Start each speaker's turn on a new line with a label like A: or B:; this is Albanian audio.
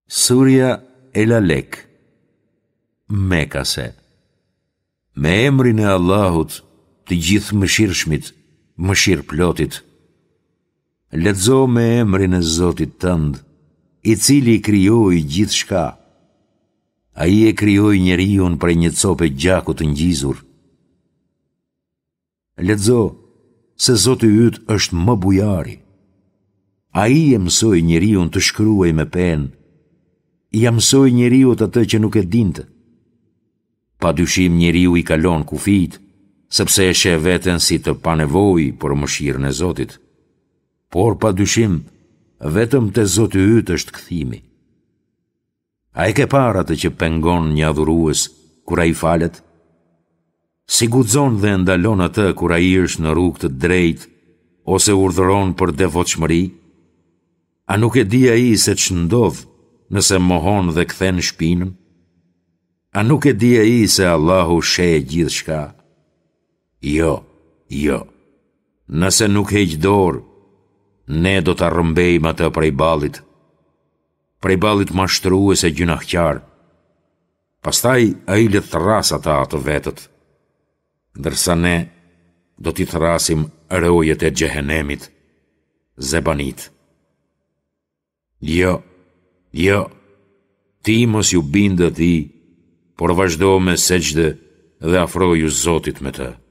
A: Surja El Alek Mekase Me emrin e Allahut, të Gjithëmëshirshmit, mëshirëplotit. Lexo me emrin e Zotit tënd, i cili krijoi gjithçka. Ai e krijoi njeriun prej një cope gjaku të ngjizur. Lexo se Zoti yt është më bujari. Ai e mësoi njeriun të shkruajë me penë. Ia mësoi njeriut atë që nuk e dinte. Pa dyshim njeriu i kalon kufijtë, sepse e sheh veten si të panevojë për mëshirën e Zotit. Por pa dyshim, vetëm te Zoti yt është kthimi. A e ke parë atë që pengon një adhurues kur ai falet? Si guxon dhe e ndalon atë kur ai është në rrugë të drejtë ose urdhëron për devotshmëri? A nuk e di ai se ç'ndodh nëse mohon dhe kthen shpinën? A nuk e di ai se Allahu sheh gjithçka? Jo, jo. Nëse nuk heq dorë, ne do ta rrëmbejmë atë prej ballit. Prej ballit mashtrues e gjynahqar. Pastaj ai le të thërrasë ata të vetët, ndërsa ne do t'i thërrasim rojet e xhehenemit, zebanitë. Jo, jo, ti mos iu bind atij, por vazhdo me sexhde dhe afroju Zotit me të.